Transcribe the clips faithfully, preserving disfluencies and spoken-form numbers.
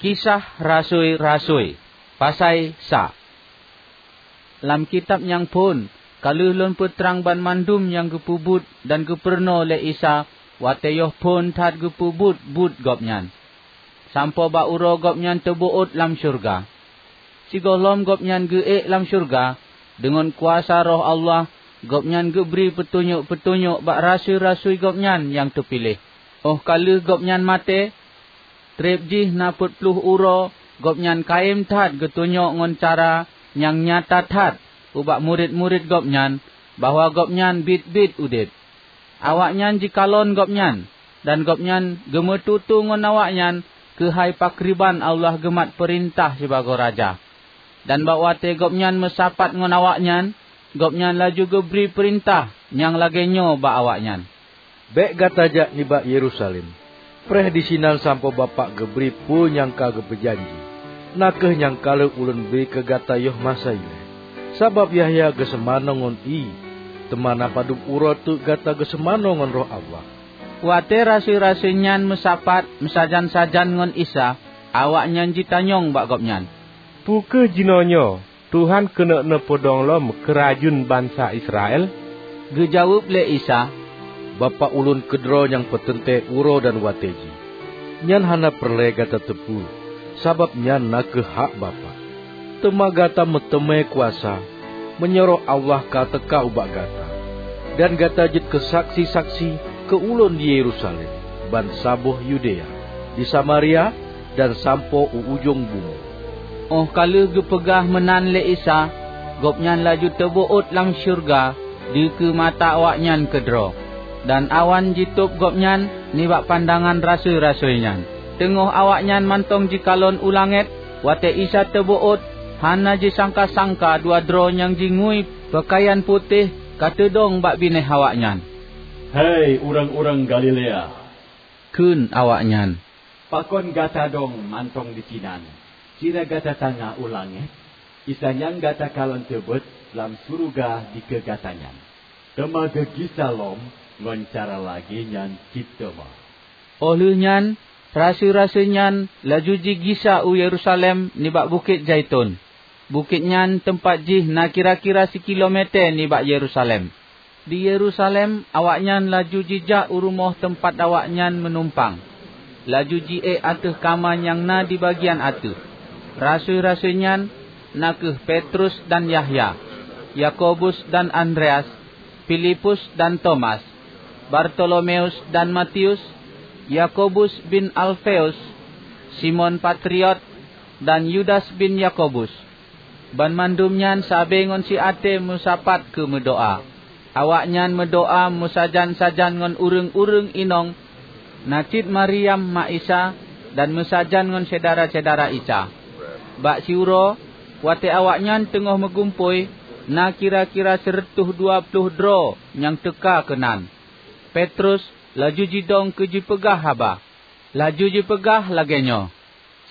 Kisah Rasui-rasui, pasai sa. Lam kitab nyang phon ka lheueh lôn peutrang banmandum nyang geupeubuet dan geupeurunoe lé Isa watée yoh phon that geupeubuet buet Gobnyan, sampoe bak uroe Gobnyan teubeuôt lam syeuruga. Sigohlom Gobnyan geuék lam syeuruga, deungon kuasa Roh Allah, Gobnyan geubri peutunyok-peutunyok bak rasui-rasui Gobnyan nyang teupiléh. Óh ka lheueh Gobnyan maté, treb jih na peuet ploh uroe, Gobnyan kayém that geutunyok ngon cara nyang nyata that ubak murit-murit Gobnyan bahwa Gobnyan biet-biet udeb. Awaknyan jikalon Gobnyan, dan Gobnyan geumeututoe ngon awaknyan keuhai pakriban Allah geumat peurintah sibagoe Raja. Dan bak watée Gobnyan meusapat ngon awaknyan, Gobnyan laju geubri peurintah nyang lagée nyoe bak awaknyan, "Bék gata jak nibak Yerusalem. Preh disinan sampoe Bapak geubri peue nyang ka geupeujanji, na kheueh nyang ka lheueh Ulôn bri keu gata yoh masa ilée. Sabab Yahya geuseumanoe ngon ié, teuma na padub uroe teuk gata geuseumanoe ngon Roh Allah." Watée rasui-rasui nyan meusapat meusajan-sajan ngon Isa, awaknyan jitanyong bak Gobnyan, "Peu kheueh jinoenyoe Tuhan keuneuk neupeudong lom keurajeuen bansa Israel?" Geujaweueb lé Isa, "Bapak Ulôn keudroe nyang peuteuntée uroe dan watée jih. Nyan hana peureulée gata teupeue, sabab nyan na kheueh hak Bapak. Teuma gata meuteumé kuasa meunyoe Roh Allah ka teuka ubak gata, dan gata jeuet keu saksi-saksi keu Ulôn di Yerusalem, bansaboh Yudea, di Samaria, dan sampoe u ujong bumoe." Óh ka lheueh geupeugah meunan lé Isa, Gobnyan laju teubeuôt lam syeuruga dikeue mata awaknyan keudroe, dan awan jitôb Gobnyan nibak pandangan rasui-rasui nyan. Teungoh awaknyan mantong jikalon u langét, watée Isa teubeuôt, hana jisangka-sangka dua droe nyang jingui peukayan putéh ka teudong bak binéh awaknyan. "Hai ureuëng-ureuëng Galilea," kheun awaknyan, "pakon gata dong mantong disinan, sira gata tanyong u langét? Isa nyang gata kalon teubeuôt lam syeuruga dikeue gata nyan, teuma geugisa lom ngon cara lagée nyan cit teuma." Óh lheueh nyan, rasui-rasui nyan laju jigisa u Yerusalem nibak Bukét Zaiton. Bukét nyan teumpat jih na kira-kira sikilomète nibak Yerusalem. Di Yerusalem, awaknyan laju jijak u rumoh teumpat awaknyan meunumpang, laju jiék ateueh kama nyang na di bagian ateueh. Rasui-rasui nyan, na kheueh Petrus dan Yahya, Yakobus dan Andreas, Filipus dan Tomas, Bartolomeus dan Matius, Yakobus bin Alfeus, Simon Patriot, dan Yudas bin Yakobus. Banmandum nyan sabe ngon siaté meusapat keu meudoá. Awaknyan meudoá meusajan-sajan ngon ureuëng-ureuëng inong, na cit Maryam ma Isa, dan meusajan ngon syedara-syedara Isa. Bak siuroe, watée awaknyan teungoh meugumpôi, na kira-kira sireutôh dua ploh droe nyang teuka keunan. Petrus laju jidong keu jipeugah haba. Laju jipeugah lagée nyoe,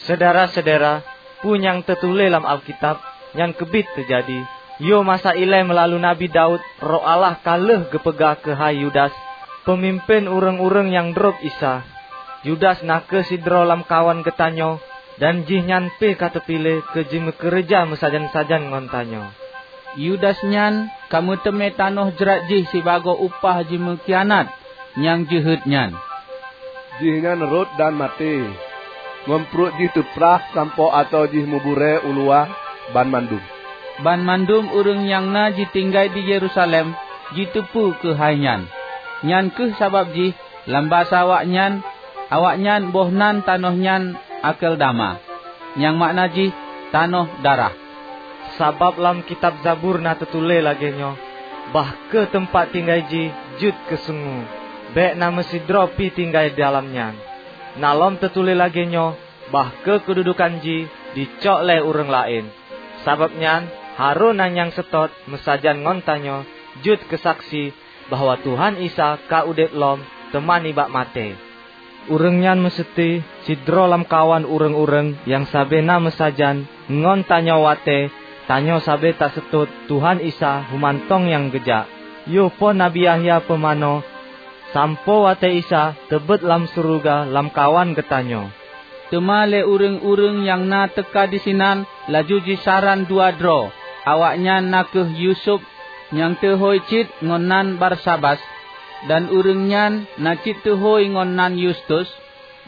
"Syedara-syedara, peue nyang teutuléh lam Alkitab, nyan keubiet teujadi. Yoh masa ilée meulalu Nabi Daud, Roh Allah ka lheueh geupeugah keuhai Yudas, peumimpén ureuëng-ureuëng nyang drob Isa. Yudas na kheueh sidroe lamkawan geutanyoe, dan jihnyan pih ka teupiléh keu jimeukeureuja meusajan-sajan ngon tanyoe." Yudas nyan ka meuteumé tanoh jrat jih sibagoe upah jimeukhianat nyang jeuhet nyan. Jihnyan rhot dan maté, ngon pruet jih teuprah sampoe ateueh jih meuburée u luwa banmandum. Banmandum ureuëng nyang na jitinggai di Yerusalem jiteupeue keuhai nyan. Nyan kheueh sabab jih lam basa awaknyan, awaknyan boh nan tanoh nyan Akeldama, nyang makna jih tanoh darah. Sabab lam kitab Zabur na teutuléh lagée nyoe, "Bah kheueh teumpat tinggai jih jeuet keu sungue, bék na meusidroe pih tinggai dalam nyan." Na lom teutuléh lagée nyoe, "Bah kheueh keududukan jih jicok lé ureuëng laén." Sabab nyan, harôh na nyang seutôt meusajan ngon tanyoe jeuet keu saksi bahwa Tuhan Isa ka udeb lom teuma nibak maté. Ureuëng nyan meuseuti sidroe lamkawan ureuëng-ureuëng nyang sabe na meusajan ngon tanyoe watée tanyoe sabe taseutôt Tuhan Isa humantong nyang geujak, yoh phon Nabi Yahya peumanoe, sampoe watée Isa teubeuôt lam syeuruga lamkawan geutanyoe. Teuma lé ureuëng-ureuëng nyang na teuka disinan laju jisaran dua droe, awaknyan na kheueh Yusuf nyang teuhôi cit ngon nan Barsabas, dan ureuëng nyan na cit teuhôi ngon nan Yustus,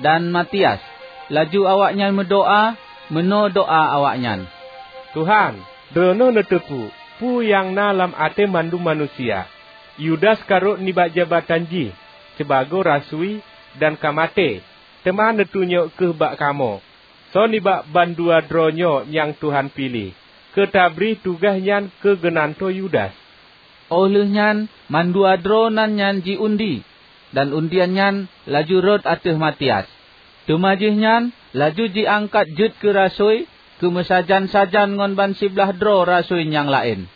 dan Matias. Laju awaknyan meudoá, meunoe doá awaknyan, "Tuhan, droeneueh neuteupeue peue nyang na lam até mandum manusia. Yudas ka rhot nibak jabatan jih sibagoe rasui dan ka maté, teuma neutunyok kheueh bak kamoe soe nibak bandua droe nyoe nyang Tuhan piléh keu tabri tugaih nyan keu geunantoe Yudas." Óh lheueh nyan mandua droe nan nyan ji-undi, dan undian nyan laju rhot ateueh Matias. Teuma jihnyan laju jiangkat jeuet keu rasui keu meusajan-sajan ngon ban siblaih droe rasui nyang laén.